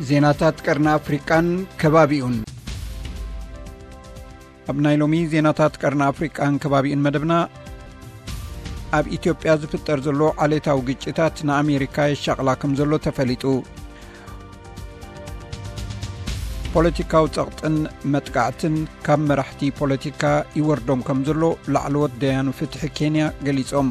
ዜናታት ቀርኒ ኣፍሪቃን ከባቢኡን። ኣብ ናይ ሎሚ ዜናታት ቀርኒ ኣፍሪቃን ከባቢኡን መደብና፣ ኣብ ኢትዮጵያ ዝፍጠር ዘሎ ዓሌታዊ ግጭታት ንኣሜሪካ የሻቕላ ከም ዘሎ ተፈሊጡ። ፖለቲካዊ ጸቕጥን መጥቃዕትን ካብ መራሕቲ ፖለቲካ ይወርዶም ከም ዘሎ ላዕለዎት ደያኑ ፍትሒ ኬንያ ገሊጾም።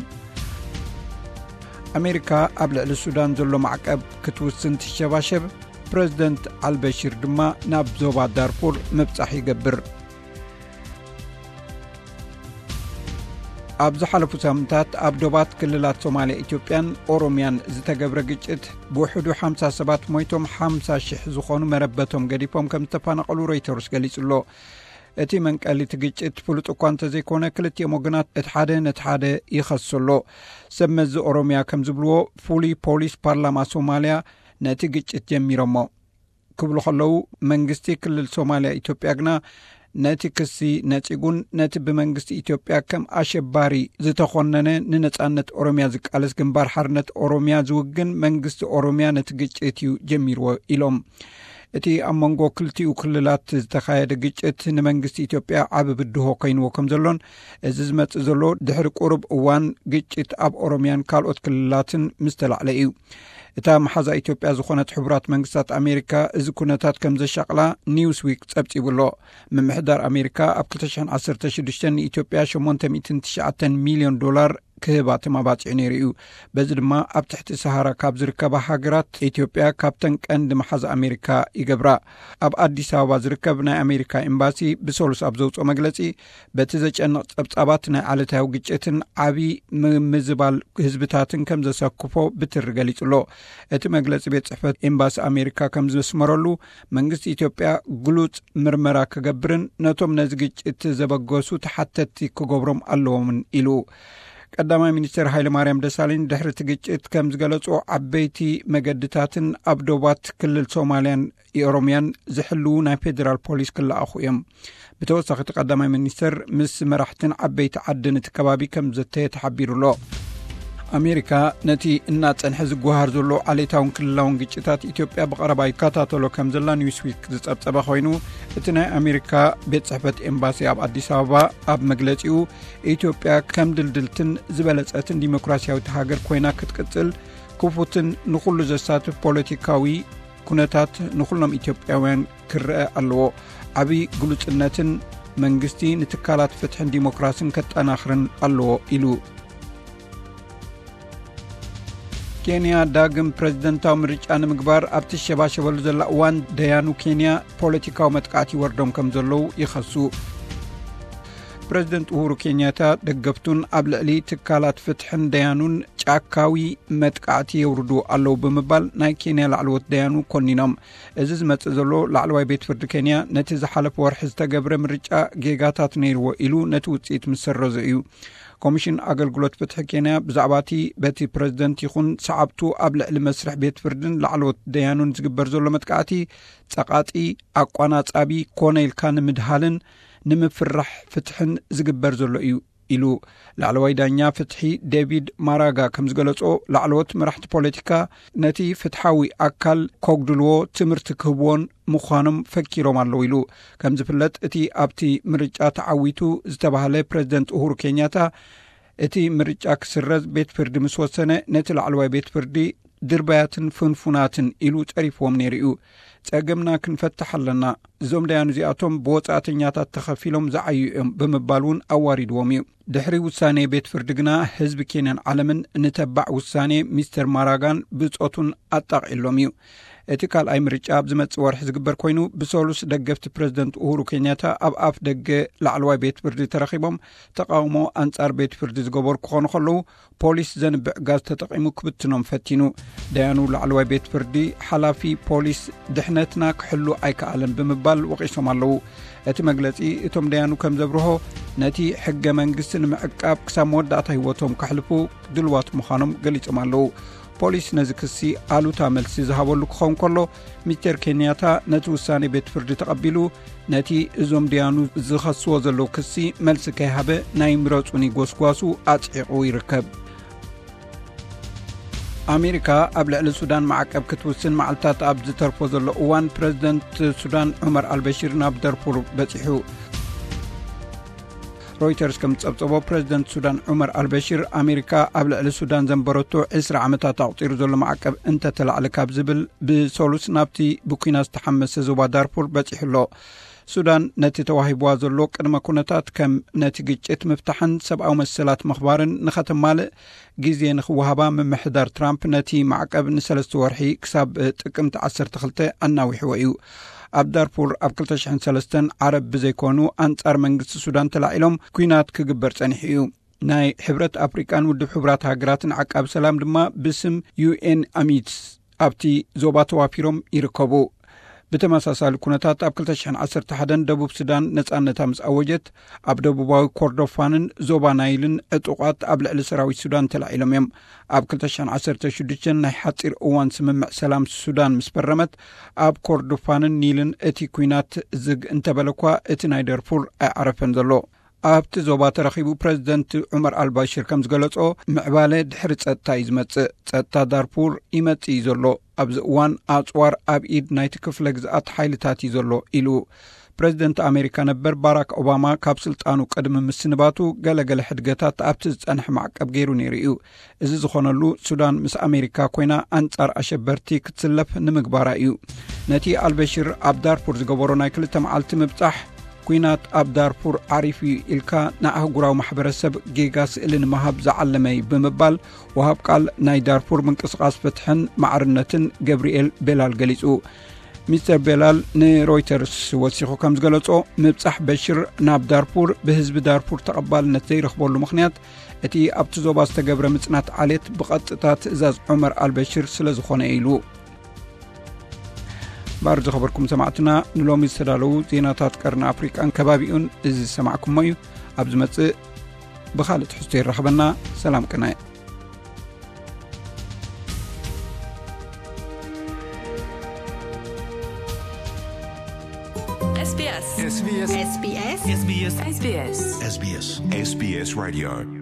ኣሜሪካ ኣብ ልዕሊ ሱዳን ዘሎ ማዕቀብ ክትውስን ትሸባሸብ፣ ፕረዚደንት ኣልበሺር ድማ ናብ ዞባ ዳርፉር ምብጻሕ ይገብር። ኣብ ዝሓለፉ ሳምንታት ኣብ ዶባት ክልላት ሶማልያ፣ ኢትዮጵያን ኦሮምያን ዝተገብረ ግጭት ብውሕዱ ሓምሳ ሰባት ሞይቶም፣ ሓምሳ ሽሕ ዝኾኑ መረበቶም ገዲፎም ከም ዝተፈናቐሉ ሮይተርስ ገሊጹ ኣሎ። እቲ መንቀሊ እቲ ግጭት ፍሉጥ እኳ እንተዘይኮነ፣ ክልቲኦም ወገናት እቲ ሓደ ነቲ ሓደ ይኸሱ ኣሎ። ሰብ መዚ ኦሮምያ ከም ዝብልዎ፣ ፍሉይ ፖሊስ ፓርላማ ሶማልያ ነቲ ግጭት ጀሚሮሞ ክብሉ ከለዉ፣ መንግስቲ ክልል ሶማልያ ኢትዮጵያ ግና ነቲ ክሲ ነጺጉን ነቲ ብመንግስቲ ኢትዮጵያ ከም ኣሸባሪ ዝተኾነነ ንነጻነት ኦሮምያ ዝቃለስ ግንባር ሓርነት ኦሮምያ ዝውግን መንግስቲ ኦሮምያ ነቲ ግጭት እዩ ጀሚርዎ ኢሎም። እቲ ኣብ መንጎ ክልቲኡ ክልላት ዝተኻየደ ግጭት ንመንግስቲ ኢትዮጵያ ዓቢ ብድሆ ኮይንዎ ከም ዘሎን፣ እዚ ዝመጽእ ዘሎ ድሕሪ ቁሩብ እዋን ግጭት ኣብ ኦሮምያን ካልኦት ክልላትን ምስ ተላዕለ እዩ። እታ መሓዛ ኢትዮጵያ ዝኾነት ሕቡራት መንግስታት ኣሜሪካ እዚ ኩነታት ከም ዘሻቕላ ኒውስዊክ ጸብጺቡ ኣሎ። ምምሕዳር ኣሜሪካ ኣብ ክልተ ሽሕን ዓሰርተ ሽዱሽተን ንኢትዮጵያ ሸሞንተ ሚእትን ትሽዓተን ሚልዮን ዶላር ክህባ ተማባጺዑ ነይሩ እዩ። በዚ ድማ ኣብ ትሕቲ ሰሃራ ካብ ዝርከባ ሃገራት ኢትዮጵያ ካብተን ቀንዲ መሓዛ ኣሜሪካ ይገብራ። ኣብ ኣዲስ ኣበባ ዝርከብ ናይ ኣሜሪካ ኤምባሲ ብሰሉስ ኣብ ዘውፅኦ መግለጺ፣ በቲ ዘጨንቕ ጸብጻባት ናይ ዓለታዊ ግጭትን ዓቢ ምምዝባል ህዝብታትን ከም ዘሰክፎ ብትሪ ገሊጹ ኣሎ። እቲ መግለጺ ቤት ጽሕፈት ኤምባሲ ኣሜሪካ ከም ዘስመረሉ፣ መንግስቲ ኢትዮጵያ ግሉጽ ምርመራ ክገብርን ነቶም ነዚ ግጭት ዘበገሱ ተሓተትቲ ክገብሮም ኣለዎምን ኢሉ። ቀዳማይ ሚኒስትር ሃይለማርያም ደሳለኝ ድሕሪ እቲ ግጭት ከም ዝገለጾ፣ ዓበይቲ መገድታትን ኣብ ዶባት ክልል ሶማልያን ኦሮምያን ዝሕልዉ ናይ ፌዴራል ፖሊስ ክለኣኹ እዮም። ብተወሳኺ፣ እቲ ቀዳማይ ሚኒስትር ምስ መራሕትን ዓበይቲ ዓድን እቲ ከባቢ ከም ዘተየ ተሓቢሩ ኣሎ። ኣሜሪካ ነቲ እናጸንሐ ዝጓሃር ዘሎ ዓሌታውን ክልላውን ግጭታት ኢትዮጵያ ብቐረባ ይከታተሎ ከም ዘላ ኒውስዊክ ዝጸብጸበ ኮይኑ፣ እቲ ናይ ኣሜሪካ ቤት ጽሕፈት ኤምባሲ ኣብ ኣዲስ ኣበባ ኣብ መግለጺኡ፣ ኢትዮጵያ ከም ድልድልትን ዝበለጸትን ዲሞክራሲያዊት ሃገር ኮይና ክትቅጽል፣ ክፉትን ንኹሉ ዘሳትፍ ፖለቲካዊ ኩነታት ንኹሎም ኢትዮጵያውያን ክረአ ኣለዎ። ዓቢ ግሉጽነትን መንግስቲ ንትካላት ፍትሕን ዲሞክራስን ከጠናኽርን ኣለዎ ኢሉ። ኬንያ ዳግም ፕረዚደንታዊ ምርጫ ንምግባር ኣብ ትሸባሸበሉ ዘላ እዋን፣ ደያኑ ኬንያ ፖለቲካዊ መጥቃዕቲ ይወርዶም ከም ዘለዉ ይኸሱ። ፕረዚደንት ኡሁሩ ኬንያታ ደገፍቱን ኣብ ልዕሊ ትካላት ፍትሕን ደያኑን ጫካዊ መጥቃዕቲ የውርዱ ኣለዉ ብምባል ናይ ኬንያ ላዕለዎት ደያኑ ኮኒኖም። እዚ ዝመጽእ ዘሎ ላዕለዋይ ቤት ፍርዲ ኬንያ ነቲ ዝሓለፈ ወርሒ ዝተገብረ ምርጫ ጌጋታት ነይርዎ ኢሉ ነቲ ውጽኢት ምስ ሰረዞ እዩ። ኮሚሽን ኣገልግሎት ፍትሒ ኬንያ ብዛዕባ እቲ በቲ ፕረዚደንት ይኹን ሰዓብቱ ኣብ ልዕሊ መስርሕ ቤት ፍርድን ላዕለዎት ደያኑን ዝግበር ዘሎ መጥቃዕቲ ጸቓጢ፣ ኣቋናጻቢ ኮነ ኢልካ ንምድሃልን ንምፍራሕ ፍትሕን ዝግበር ዘሎ እዩ ኢሉ። ላዕለዋይ ዳኛ ፍትሒ ዴቪድ ማራጋ ከም ዝገለጾ፣ ላዕለዎት መራሕቲ ፖለቲካ ነቲ ፍትሓዊ ኣካል ከጉድልዎ ትምህርቲ ክህብዎን ምዃኖም ፈኪሮም ኣለዉ ኢሉ። ከም ዝፍለጥ፣ እቲ ኣብቲ ምርጫ ተዓዊቱ ዝተባህለ ፕረዚደንት ኡሁሩ ኬንያታ፣ እቲ ምርጫ ክስረዝ ቤት ፍርዲ ምስ ወሰነ፣ ነቲ ላዕለዋይ ቤት ፍርዲ ድርባያትን ፍንፉናትን ኢሉ ጸሪፍዎም ነይሩ እዩ። ጸገምና ክንፈትሕ ኣለና። እዞም ደያኑ እዚኣቶም ብወጻእተኛታት ተኸፊሎም ዝዓዩ እዮም ብምባል እውን ኣዋሪድዎም እዩ። ድሕሪ ውሳኔ ቤት ፍርዲ ግና ህዝቢ ኬንያን ዓለምን ንተባዕ ውሳኔ ሚስተር ማራጋን ብጾቱን ኣጣቒሎም እዩ። እቲ ካልኣይ ምርጫ ኣብ ዝመጽእ ወርሒ ዝግበር ኮይኑ፣ ብሰሉስ ደገፍቲ ፕረዚደንት ኡሁሩ ኬንያታ ኣብ ኣፍ ደገ ላዕለዋይ ቤት ፍርዲ ተረኺቦም ተቃውሞ ኣንጻር ቤት ፍርዲ ዝገበሩ ክኾኑ ከለዉ፣ ፖሊስ ዘንብዕ ጋዝ ተጠቒሙ ክብትኖም ፈቲኑ። ደያኑ ላዕለዋይ ቤት ፍርዲ፣ ሓላፊ ፖሊስ ድሕነትና ክሕሉ ኣይከኣለን ብምባል ወቒሶም ኣለዉ። እቲ መግለጺ፣ እቶም ደያኑ ከም ዘብርሆ፣ ነቲ ሕገ መንግስቲ ንምዕቃብ ክሳብ መወዳእታ ህይወቶም ከሕልፉ ድልዋት ምዃኖም ገሊጾም ኣለዉ። ፖሊስ ነዚ ክሲ ኣሉታ መልሲ ዝሃበሉ ክኸውን ከሎ፣ ሚስተር ኬንያታ ነቲ ውሳኔ ቤት ፍርዲ ተቐቢሉ፣ ነቲ እዞም ደያኑ ዝኸስዎ ዘለዉ ክሲ መልሲ ከይሃበ፣ ናይ ምረጹኒ ጎስጓሱ ኣጽዒቑ ይርከብ። ኣሜሪካ ኣብ ልዕሊ ሱዳን ማዕቀብ ክትውስን መዓልታት ኣብ ዝተርፎ ዘሎ እዋን፣ ፕረዚደንት ሱዳን ዑመር ኣልበሽር ናብ ደርፉር በጺሑ። ሮይተርስ ከም ዝጸብጸቦ፣ ፕረዚደንት ሱዳን ዑመር ኣልበሽር፣ ኣሜሪካ ኣብ ልዕሊ ሱዳን ዘንበረቶ ዕስራ ዓመታት ኣቑጺሩ ዘሎ ማዕቀብ እንተተላዕለ ካብ ዝብል፣ ብሰሉስ ናብቲ ብኲናት ዝተሓመሰ ዞባ ዳርፉር በጺሑ ኣሎ። ሱዳን ነቲ ተዋሂብዋ ዘሎ ቅድመ ኩነታት ከም ነቲ ግጭት ምፍታሕን ሰብኣዊ መሰላት ምኽባርን ንኸተማልእ ግዜ ንኽወሃባ ምምሕዳር ትራምፕ ነቲ ማዕቀብ ንሰለስተ ወርሒ ክሳብ ጥቅምቲ ዓሰርተ ክልተ ኣናዊሕዎ እዩ። ኣብ ዳርፉር ኣብ ክልተ ሽሕን ሰለስተን ዓረብ ብዘይኮኑ ኣንጻር መንግስቲ ሱዳን ተላዒሎም ኲናት ክግበር ጸኒሑ እዩ። ናይ ሕብረት ኣፍሪቃን ውድብ ሕቡራት ሃገራትን ዓቃቢ ሰላም ድማ ብስም ዩ ኤን ኣሚድስ ኣብቲ ዞባ ተዋፊሮም ይርከቡ። ብተመሳሳሊ ኩነታት ኣብ ክልተ ሽሕን ዓሰርተ ሓደን ደቡብ ሱዳን ነጻነታ ምስ ኣወጀት፣ ኣብ ደቡባዊ ኮርዶፋንን ዞባ ናይልን ዕጡቓት ኣብ ልዕሊ ሰራዊት ሱዳን ተላዒሎም እዮም። ኣብ ክልተ ሽሕን ዓሰርተ ሽዱሽተን ናይ ሓጺር እዋን ስምምዕ ሰላም ሱዳን ምስ ፈረመት፣ ኣብ ኮርዶፋንን ኒልን እቲ ኲናት ዝግ እንተበለኳ፣ እቲ ናይ ደርፉር ኣይዓረፈን ዘሎ። ኣብቲ ዞባ ተረኺቡ ፕረዚደንት ዑመር ኣልባሽር ከም ዝገለጾ፣ ምዕባለ ድሕሪ ጸጥታ እዩ ዝመጽእ። ጸጥታ ዳርፉር ይመጽእ እዩ ዘሎ። ኣብዚ እዋን ኣጽዋር ኣብ ኢድ ናይቲ ክፍለ ግዝኣት ሓይልታት እዩ ዘሎ ኢሉ። ፕረዚደንት ኣሜሪካ ነበር ባራክ ኦባማ ካብ ስልጣኑ ቅድሚ ምስንባቱ፣ ገለገለ ሕድገታት ኣብቲ ዝጸንሐ ማዕቀብ ገይሩ ነይሩ እዩ። እዚ ዝኾነሉ፣ ሱዳን ምስ ኣሜሪካ ኮይና ኣንጻር ኣሸበርቲ ክትስለፍ ንምግባራ እዩ። ነቲ ኣልበሽር ኣብ ዳርፉር ዝገበሮ ናይ ክልተ መዓልቲ ምብጻሕ፣ ኲናት ኣብ ዳርፉር ዓሪፉ እዩ ኢልካ ንኣህጉራዊ ማሕበረሰብ ጌጋ ስእሊ ንምሃብ ዝዓለመ እዩ ብምባል፣ ወሃብ ቃል ናይ ዳርፉር ምንቅስቓስ ፍትሕን ማዕርነትን ገብርኤል ቤላል ገሊጹ። ሚስተር ቤላል ንሮይተርስ ወሲኹ ከም ዝገለጾ፣ ምብጻሕ በሽር ናብ ዳርፉር ብህዝቢ ዳርፉር ተቐባልነት ዘይረኽበሉ ምኽንያት፣ እቲ ኣብቲ ዞባ ዝተገብረ ምጽናት ዓሌት ብቐጥታ ትእዛዝ ዑመር ኣልበሽር ስለ ዝኾነ እዩ ኢሉ። ባር ዝኸበርኩም ሰማዕትና፣ ንሎሚ ዝተዳለዉ ዜናታት ቀርኒ ኣፍሪቃን ከባቢኡን እዚ ዝሰማዕኩሞ እዩ። ኣብ ዝመጽእ ብኻልእ ትሕዝቶ ይራኸበና። ሰላም ቅነ። S B S. S B S. S B S. S B S. S B S. S B S. S B S Radio.